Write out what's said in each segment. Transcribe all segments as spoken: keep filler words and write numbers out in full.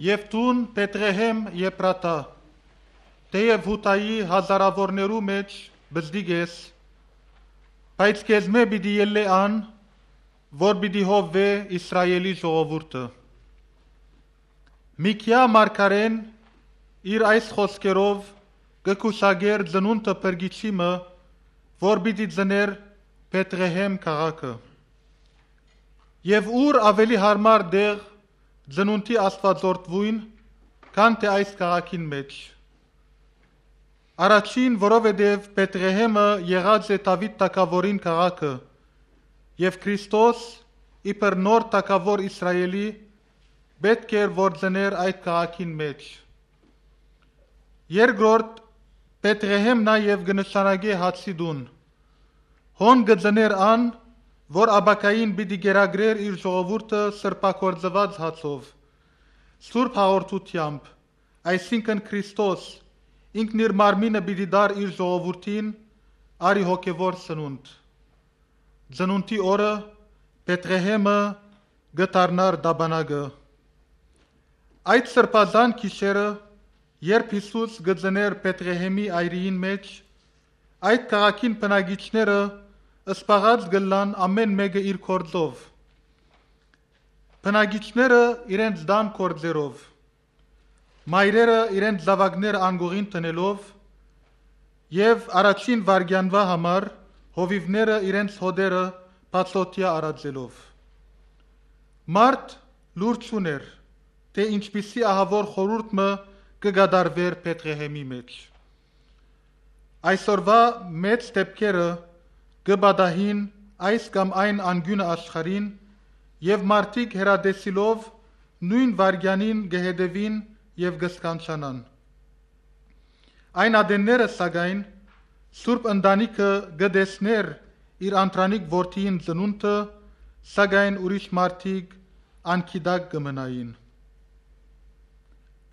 Եւ դուն, Բեթղեհեմ Եփրաթա, թէեւ Յուդայի հազարաւորներու մէջ պզտիկ ես, բայց քեզմէ պիտի ելլէ ան, որ պիտի հովուէ Իսրայէլի ժողովուրդը։ Միքիա մարգարէն իր այս խօսքերով կը կուսակէր ծնունդը փրկիչի մը, որ պիտի ծնէր Բեթղեհեմ քաղաքը։ Եւ ո՞ւր աւելի յարմար տեղ ծնունդի աստուածորդուին, քան թէ այս քաղաքին մէջ։ Առաջին, որովհետեւ Բեթղեհեմը եղած է Դաւիթ թագաւորին քաղաքը, եւ Քրիստոս, իբր նոր թագաւոր Իսրայէլի, պէտք էր որ ծնէր այդ քաղաքին մէջ։ Երկրորդ, Բեթղեհեմ նաեւ կը նշանակէ հացի տուն։ Հոն կը ծնէր ան, որ ապագային պիտի կերակրէր իր ժողովուրդը սրբագործուած հացով, սուրբ հաղորդութեամբ, այսինքն Քրիստոս ինքն իր մարմինը պիտի տար իր ժողովուրդին արի հոգեվոր սնունդ։ Ծնունդի օրը Բեթղեհեմը կը դառնար տապանակը։ Այդ սրբազան գիշերը, երբ Յիսուս կը ծնէր Բեթղեհեմի այրիին մէջ, այդ քաղաքին բնակիչները սպաղած կ'ըլլան ամէն մէկը իր գործով։ Բնակիչները իրենց տան գործերով, մայրերը իրենց զաւակները անկողին դնելով եւ առաջին վայրկեանուա համար հովիւները իրենց հօտերը բացօթեայ արածելով։ Մարդ լուր չունէր, թէ ինչպիսի ահաւոր խորհուրդ մը կը կատարուէր Բեթղեհեմի մէջ։ Այսօրուա մեծ դէպքերը կը պատահին այս կամ այն անկիւնը աշխարհին, եւ մարդիկ հեռատեսիլով նոյն վայրկեանին կը հետեւին եւ կը սքանչանան։ Այն ատենները, սակայն, Սուրբ Ընտանիքը կը տեսնէր իր անդրանիկ որդիին ծնունդը, սակայն ուրիշ մարդիկ անգիտակ կը մնային։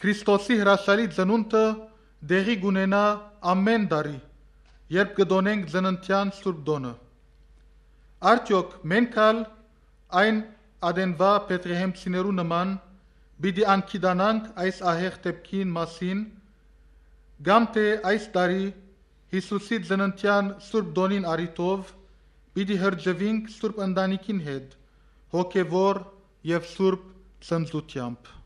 Քրիստոսի հրաշալի ծնունդը տեղի կ'ունենայ ամէն տարի, երբ կը տօնենք ծննդեան Սուրբ Տօնը։ Արդեօք մենք ալ այն ատենուա Բեթղեհեմցիներու նման պիտի անգիտանանք այս ահեղ դէպքին մասին, կամ թէ այս տարի Յիսուսի ծննդեան Սուրբ Տօնին առիթով պիտի հրճուինք Սուրբ Ընտանիքին հետ, հոգեվոր եւ սուրբ ծնծութեամբ։